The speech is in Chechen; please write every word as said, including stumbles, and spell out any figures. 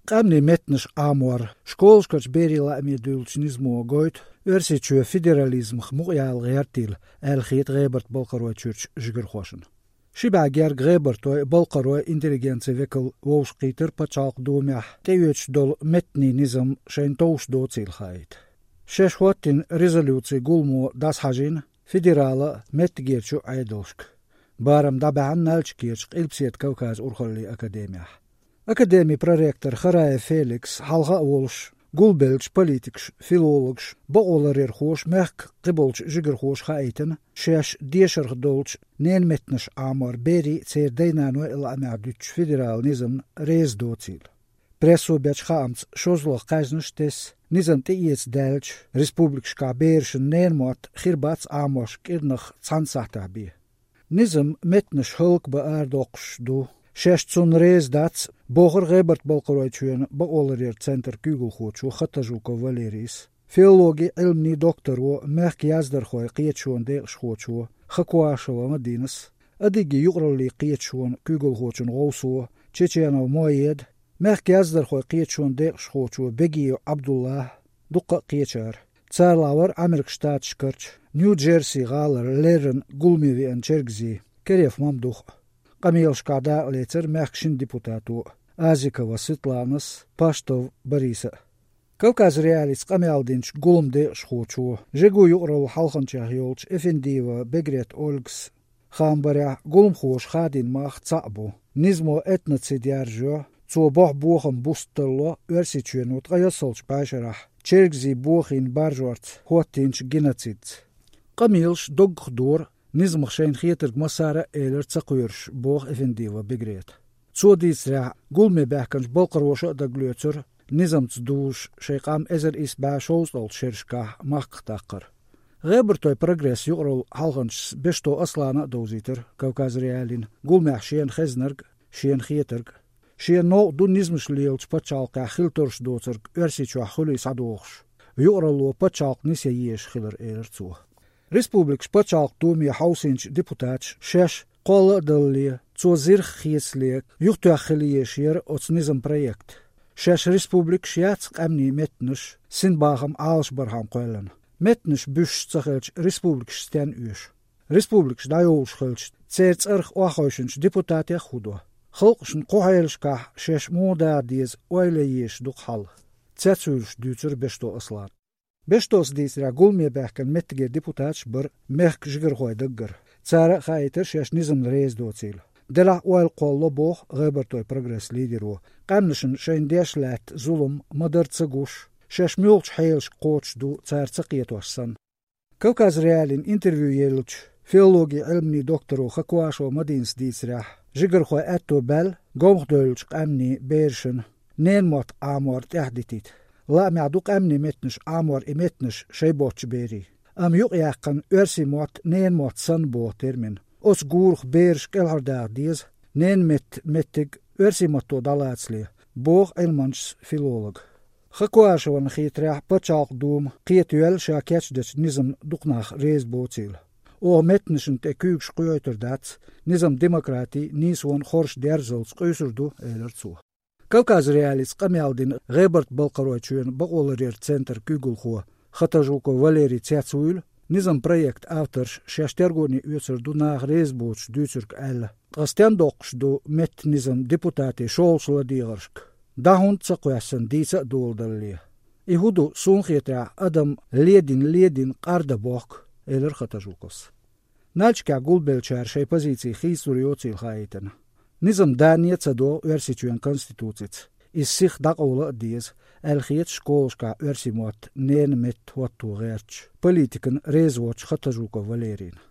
Къаьмнийн меттанаш Ӏамор школашкарчу берийн лааме дуьллучу низамо гойту Оьрсийчоь федерализмах мукъаяла гӀертийла, аьлла хета ГӀебарта-Балкхаройчуьрчу жигархошна. Ши бӀе герга гӀебартойн, балкхаройн интеллигенцин векал вовшахкхийтира Пачхьалкхан Думехь тӀеоьцуш долу меттанийн низам шайна товш доцийла хаийта. Шаьш хӀоттийна резолюцин гуламо дӀасахьажийна федералан а, меттигерчу а Ӏедалшка. Барам дӀабаьхьна Нальчикерчу Къилбаседа Кавказан урхаллийн академехь. Академин проректор Хараев Феликс хьалха а волуш, гулбеллачу политикаша, филологаша, бакъоларъярхоша, мехкан кхиболчу жигархоша хаийтина, шаьш дешарх долчу ненан меттанаш Ӏамор берийн а, церан дай-наной а лаамехь дуьтучу федералан низамна реза доцийла. Прессо бечу хаамца, шозлагӀа кхаьжнаш тесна, низам тӀеэца даьлча, республикашкахь берашна ненан мотт хир бац Ӏамош кӀирнах цхьана сахьтехь бен. Низам меттанаш хӀаллакбан арадоккхуш ду, шаьш цунна реза дац, бохура ГӀебарта-Балкхаройчоьнан бакъоларъяран центран куьйгалхочо Хатажуков Валерийс, филологийн Ӏилманийн докторо, мехкан яздархойн кхеташонан декъашхочо Хакуашева Мадинас, адыгийн юкъараллийн кхеташонан куьйгалхочун гӀовсо Чеченов Моеда, мехкан яздархойн кхеташонан декъашхочо Бегиев Ӏабдуллахь, дуккха а кхечара. Царал вара Ӏамеркан Штаташкарчу Нью-Джерси гӀалара леррина гуламе веана чергазий Кереф Мамдух а. Къамелашкахь дакъалецира мехкан шина депутато, Азикова Светланас, Паштов Бориса а. Кавказ.Реалиица къамел динчу гуламан декъашхочо, Жигу юкъараллин хьалханчех йолчу Эфендиева Бегрет Ольгас хаам барехь, гуламхоша хадийна мах цхьаъ бу. Низамо этноцид яржайо, цо бохьу бохам буста тарло Оьрсийчоьно ткъе ялсалгӀачу бӀешарахь чергазий бохийна баржорца хӀоттийначу геноцидца. Къамелаш доггах дора, низамах шайна хетарг массара а элира ца кхоьруш, боху Эфендиева Бегрета. Цо дийцарехь, гуламе баьхкинчу балкхароша а дагалоьцура низамца дузуш шайн къам эзар исс бӀе шовзткъалгӀачу шерашкахь махках даккхар. ГӀебартойн «Прогресс» юкъараллин хьалханчас Бешто Аслана а довзийтира Кавказ.Реалиина гуламехь шена хезнарг а, шена хетарг а. Шена новкъа ду низамаш лелачу пачхьалкхехь хила тарлуш доцург Оьрсийчохь хуьлий схьадогӀуш, юкъаралло пачхьалкх нисъян езаш хилар, элира цо. Республикаш пачхьалкхан думе хьовсийначу депутаташа шаьш кхолла а далале, цо зирх хецале, юхатоьхна хила езаш яра оцу низаман проект. Шаьш республикаш яц къаьмнийн меттанаш синбахам Ӏалашбархьама кхоьллина. Меттанаш буьсуш ца хилча, республикаш стенна оьшу? Республикаш дӀайовлуш хилча, церан цӀарах охьахевшинчу депутатех хӀун до? Халкъашна кху хьелашкахь шаьш муха даха деза ойла ян езаш ду-кх хьал? Цецвуьйлуш дуьйцура Бешто Аслана. Бештос дийцарехь, гуламе баьхкина меттигера депутаташ бара мехкан жигархойн даггара. Цара а хаийтира шаьш низамна реза доцийла. Делахь а ойла кхоллало, боху ГӀебартойн «Прогресс» лидеро, къаьмнашна шайна деш лаьтта зулам ма-дарра ца гуш, шаьш муьлхачу хьелашка кхочуш ду цара ца кхетош санна. Кавказ.Реалиина интервью еллачу филологийн Ӏилманийн докторо Хакуашева Мадинас дийцарехь, жигархойн аьтто баьлла гомхадевллачу къаьмнийн берашна ненан мотт Ӏамор тӀаьхьадитийта. Лаамехь ду къаьмнийн меттанаш Ӏамор и меттанаш шайн боцчу берийн. Амма юкъаяьккхина оьрсийн мотт ненан мотт санна боху термин. Оцу гурах бераш кӀелхьардаха деза, ненан меттан меттиг оьрсийн матто дӀалацале, боху Ӏилманчас филолога. Хакуашевна хетарехь, Пачхьалкхан Дума кхетавелла ша кечдечу низамна дукха нах реза боцийла. Оха меттанашна тӀе куьйгаш кхоьйтур дац, низам демократин, нийсонан хорша дерзалц къуьйсур ду, элира цо. Кавказ.Реалиица къамел дина ГӀебарта-Балкхаройчоьнан бакъоларъяран центран куьйгалхо Хатажуков Валерий цецвуьйлу, низаман проектан авторш шаьш тергоне оьцур ду наха реза боцуш дуьйцург аьлла. Ткъа стенна доккхуш ду меттан низам депутатийн шолгӀачу ладегӀаршка? ДӀа хӀунда ца кхоьссина, дийца а доладалале? И хӀун ду, суна хетарехь, адам ледина-ледина къардан бохку, элира Хатажуковс. Нальчикехь гулбеллачара шайн позици хийцалур йоцийла хаийтина. Низам дане а ца догӀу Оьрсийчоьнан Конституцица, иза сиха дӀакъовла а деза, аьлла хета школашкахь оьрсийн мотт ненан метта хӀотто гӀертачу, политикана реза воцчу Хатажуков Валерийна.